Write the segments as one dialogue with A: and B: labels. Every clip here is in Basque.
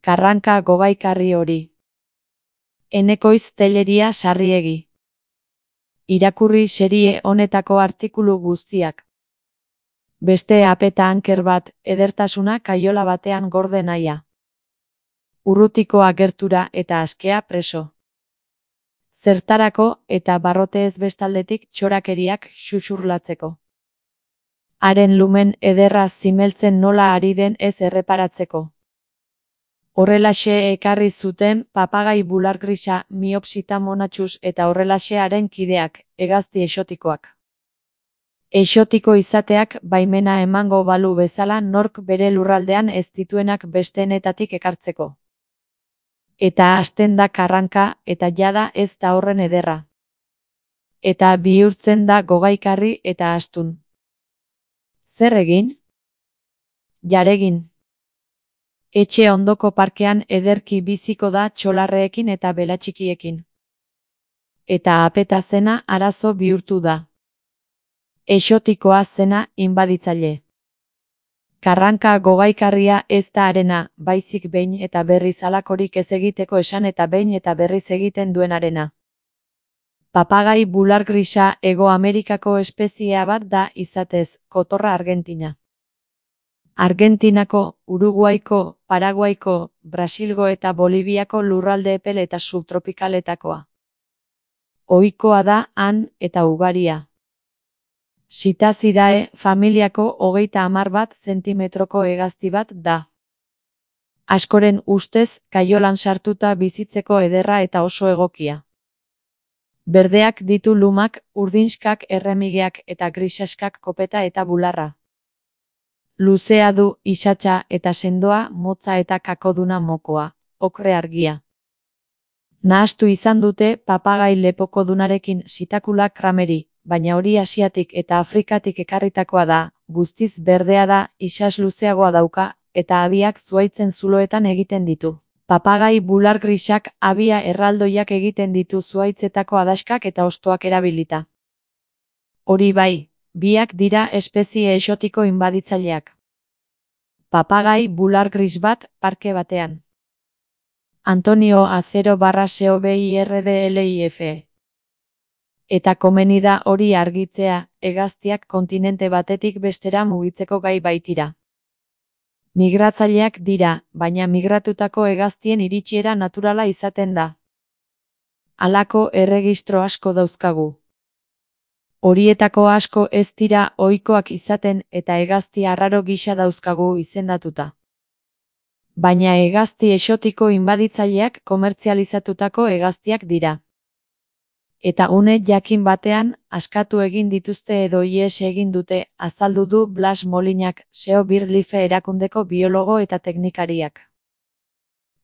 A: Karranka gogaikarri hori. Enekoiz Telleria Sarriegi. Irakurri serie honetako artikulu guztiak. Beste apeta anker bat, edertasuna kaiola batean gorde nahia. Urrutiko agertura eta askea preso. Zertarako eta barrote ez bestaldetik txorakeriak xuxurlatzeko. Haren lumen ederra zimeltzen nola ari den ez erreparatzeko. Horrelaxe ekarri zuten papagai bulargrisa Miopsita monachus eta horrelaxe haren kideak, hegazti exotikoak. Exotiko izateak baimena emango balu bezala nork bere lurraldean ez dituenak besteenetatik ekartzeko. Eta hasten da karranka eta jada ez da horren ederra. Eta bihurtzen da gogaikarri eta astun. Zer egin? Jaregin. Etxe ondoko parkean ederki biziko da txolarreekin eta belatxikiekin. Eta apeta zena arazo bihurtu da. Exotikoa zena inbaditzaile. Karranka gogaikarria ez da arena, baizik behin eta berriz halakorik ez egiteko esan eta behin eta berriz egiten duenarena. Papagai bulargrisa Hego Amerikako espeziea bat da izatez, kotorra Argentina. Argentinako, Uruguaiko, Paraguaiko, Brasilgo eta Boliviako lurralde epel eta subtropikaletakoa. Ohikoa da han eta ugaria. Sitazidae familiako 30 zentimetroko hegazti bat da. Askoren ustez kaiolan sartuta bizitzeko ederra eta oso egokia. Berdeak ditu lumak, urdinskak erremigeak eta grisaskak kopeta eta bularra. Luzea du isatsa eta sendoa motza eta kakoduna mokoa, okre argia. Nahastu izan dute papagai lepokodunarekin Sitakula crameri, baina hori Asiatik eta Afrikatik ekarritakoa da, guztiz berdea da, isas luzeagoa dauka, eta abiak zuhaitzen zuloetan egiten ditu. Papagai bulargrisak abia erraldoiak egiten ditu zuhaitzetako adaskak eta hostoak erabilita. Hori bai, biak dira espezie exotiko inbaditzaileak. Papagai bulargris bat parke batean. Antonio Acero /COBIRDLIF. Eta komeni da hori argitzea, hegaztiak kontinente batetik bestera mugitzeko gai baitira. Migratzaileak dira, baina migratutako hegaztien iritsiera naturala izaten da. Halako erregistro asko dauzkagu. Horietako asko ez dira ohikoak izaten eta hegazti arraro gisa dauzkagu izendatuta. Baina hegazti exotiko inbaditzaileak komertzializatutako hegaztiak dira. Eta une jakin batean, askatu egin dituzte edo ihes egin dute, azaldu du Blas Molinak, SEO Birdlife erakundeko biologo eta teknikariak.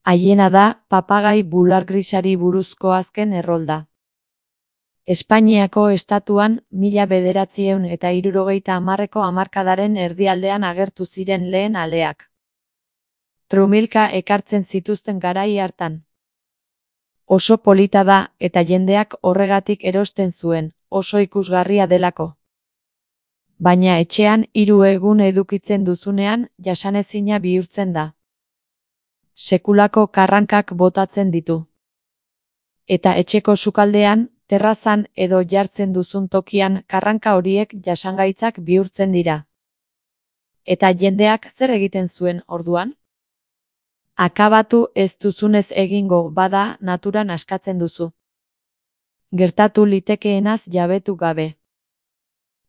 A: Haiena da, papagai bulargrisari buruzko azken errolda. Espainiako estatuan, 1970ko hamarkadaren erdialdean agertu ziren lehen aleak. Trumilka ekartzen zituzten garai hartan. Oso polita da, eta jendeak horregatik erosten zuen, oso ikusgarria delako. Baina etxean 3 egun edukitzen duzunean, jasanezina bihurtzen da. Sekulako karrankak botatzen ditu. Eta etxeko sukaldean, terrazan edo jartzen duzun tokian karranka horiek jasangaitzak bihurtzen dira. Eta jendeak zer egiten zuen orduan? Akabatu ez duzunez egingo bada naturan askatzen duzu. Gertatu litekeenaz jabetu gabe.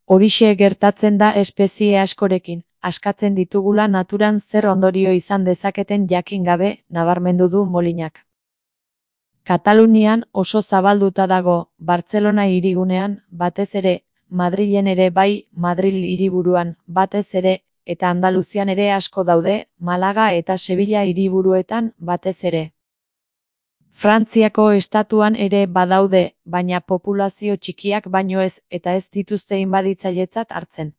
A: Horixe gertatzen da espezie askorekin, askatzen ditugula naturan zer ondorio izan dezaketen jakin gabe, nabarmendu du Molinak. Katalunian oso zabalduta dago, Bartzelona hirigunean, batez ere, Madrilen ere bai, Madril hiriburuan, batez ere, eta Andaluzian ere asko daude, Malaga eta Sevilla hiriburuetan batez ere. Frantziako estatuan ere badaude, baina populazio txikiak baino ez eta ez dituzte inbaditzailetzat hartzen.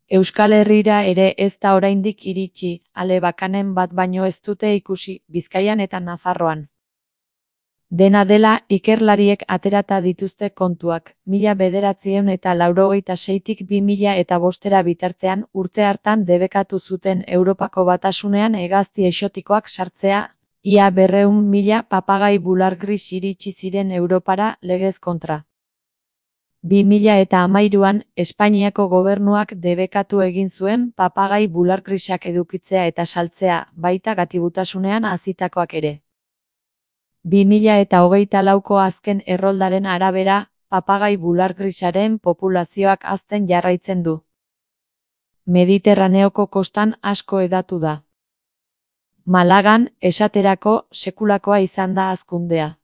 A: Euskal Herrira ere ez da oraindik iritsi, ale bakanen bat baino ez dute ikusi, Bizkaian eta Nafarroan. Dena dela, ikerlariek aterata dituzte kontuak, 1986tik 2005 bitartean urte hartan debekatu zuten Europako Batasunean hegazti exotikoak sartzea, ia 200.000 papagai bular gris iritsi ziren Europara legez kontra. 2013an, Espainiako gobernuak debekatu egin zuen papagai bular grisak edukitzea eta saltzea, baita gatibutasunean hazitakoak ere. 2024ko azken erroldaren arabera, papagai bular grisaren populazioak hazten jarraitzen du. Mediterraneoko kostan asko hedatu da. Malagan, esaterako, sekulakoa izan da hazkundea.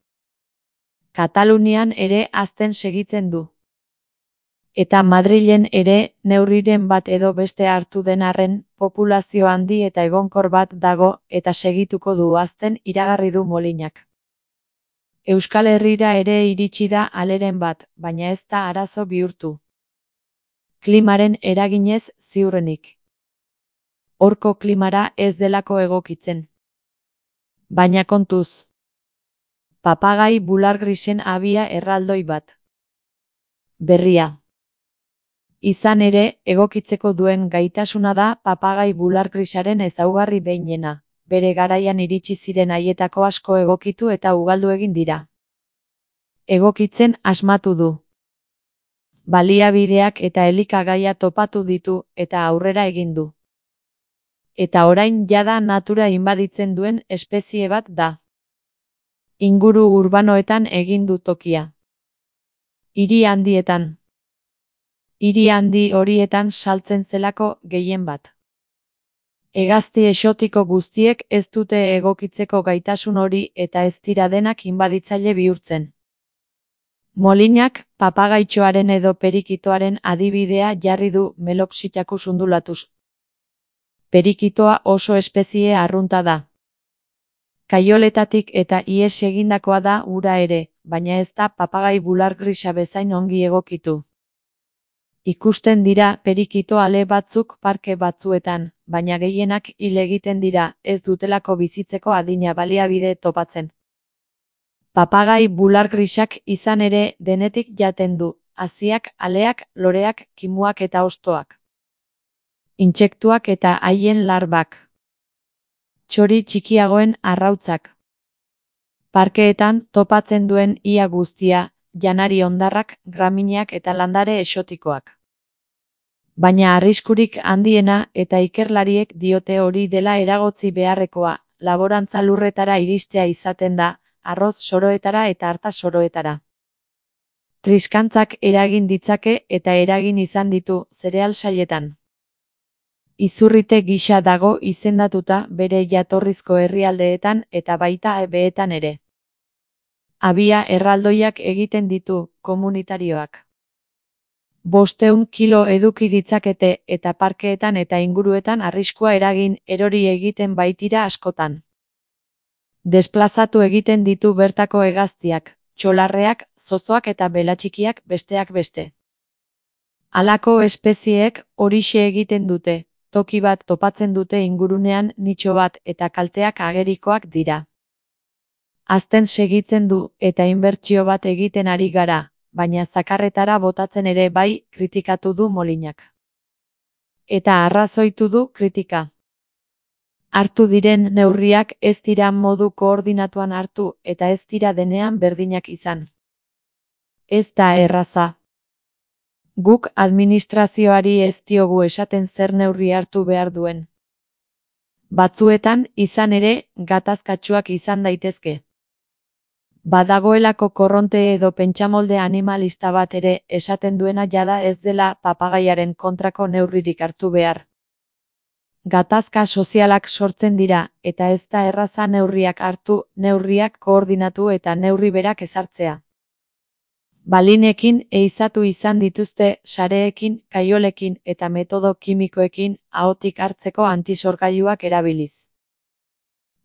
A: Katalunian ere hazten segitzen du. Eta Madrilen ere, neurriren bat edo beste hartu den arren, populazio handi eta egonkor bat dago, eta segituko du hazten iragarri du Molinak. Euskal Herrira ere iritsi da aleren bat, baina ez da arazo bihurtu. Klimaren eraginez ziurrenik. Horko klimara ez delako egokitzen. Baina kontuz. Papagai bular grisen abia erraldoi bat. Berria. Izan ere, egokitzeko duen gaitasuna da papagai bular grisaren ezaugarri behinena. Bere garaian iritsi ziren haietako asko egokitu eta ugaldu egin dira. Egokitzen asmatu du. Baliabideak eta elikagaia topatu ditu eta aurrera egin du. Eta orain jada natura inbaditzen duen espezie bat da. Inguru urbanoetan egin du tokia. Hiri handietan. Hiri handi horietan saltzen zelako gehien bat. Hegazti exotiko guztiek ez dute egokitzeko gaitasun hori eta ez dira denak inbaditzaile bihurtzen. Molinak, papagaitxoaren edo perikitoaren adibidea jarri du Melopsittacus undulatus. Perikitoa oso espezie arrunta da. Kaioletatik eta ihes egindakoa da ura ere, baina ez da papagai bular grisa bezain ongi egokitu. Ikusten dira perikito ale batzuk parke batzuetan, baina gehienak hil egiten dira, ez dutelako bizitzeko adina baliabide topatzen. Papagai bular grisak izan ere denetik jaten du, haziak, aleak, loreak, kimuak eta hostoak. Intsektuak eta haien larbak. Txori txikiagoen arrautzak. Parkeetan topatzen duen ia guztia, janari hondarrak, gramineak eta landare exotikoak. Baina arriskurik handiena eta ikerlariek diote hori dela eragotzi beharrekoa, laborantza lurretara iristea izaten da, arroz soroetara eta arta soroetara. Triskantzak eragin ditzake eta eragin izan ditu zereal sailetan. Izurrite gisa dago izendatuta bere jatorrizko herrialdeetan eta baita beetan ere. Abia erraldoiak egiten ditu, komunitarioak. 500 kilo eduki ditzakete eta parkeetan eta inguruetan arriskua eragin erori egiten baitira askotan. Desplazatu egiten ditu bertako hegaztiak, txolarreak, zozoak eta belatxikiak besteak beste. Halako espezieek horixe egiten dute, toki bat topatzen dute ingurunean nitxo bat eta kalteak agerikoak dira. Hazten segitzen du eta inbertsio bat egiten ari gara, baina zakarretara botatzen ere bai, kritikatu du Molinak. Eta arrazoitu du kritika. Hartu diren neurriak ez dira modu koordinatuan hartu eta ez dira denean berdinak izan. Ez da erraza. Guk administrazioari ez diogu esaten zer neurri hartu behar duen. Batzuetan, izan ere, gatazkatsuak izan daitezke. Badagoelako korronte edo pentsamolde animalista bat ere esaten duena jada ez dela papagaiaren kontrako neurririk hartu behar. Gatazka sozialak sortzen dira, eta ez da erraza neurriak hartu, neurriak koordinatu eta neurri berak ezartzea. Balinekin ehizatu izan dituzte sareekin, kaiolekin eta metodo kimikoekin ahotik hartzeko antisorgailuak erabiliz.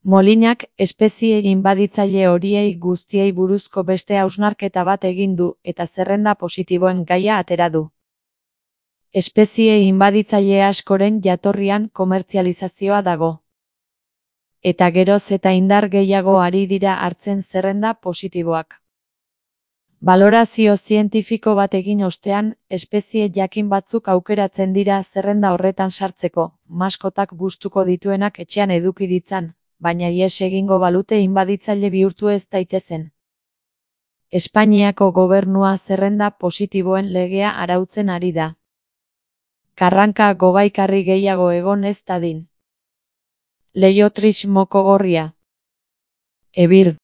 A: Molinak espezie inbaditzaile horiei guztiei buruzko beste hausnarketa bat egin du eta zerrenda positiboen gaia atera du. Espezie inbaditzaile askoren jatorrian komertzializazioa dago. eta geroz eta indar gehiago ari dira hartzen zerrenda positiboak. Balorazio zientifiko bat egin ostean, espezie jakin batzuk aukeratzen dira zerrenda horretan sartzeko, maskotak gustuko dituenak etxean eduki ditzan, baina ihes egingo balute inbaditzaile bihurtu ez daitezen. Espainiako gobernua zerrenda positiboen legea arautzen ari da. Karranka gogaikarri gehiago egon ez dadin. Leihotrix moko gorria. Ebird.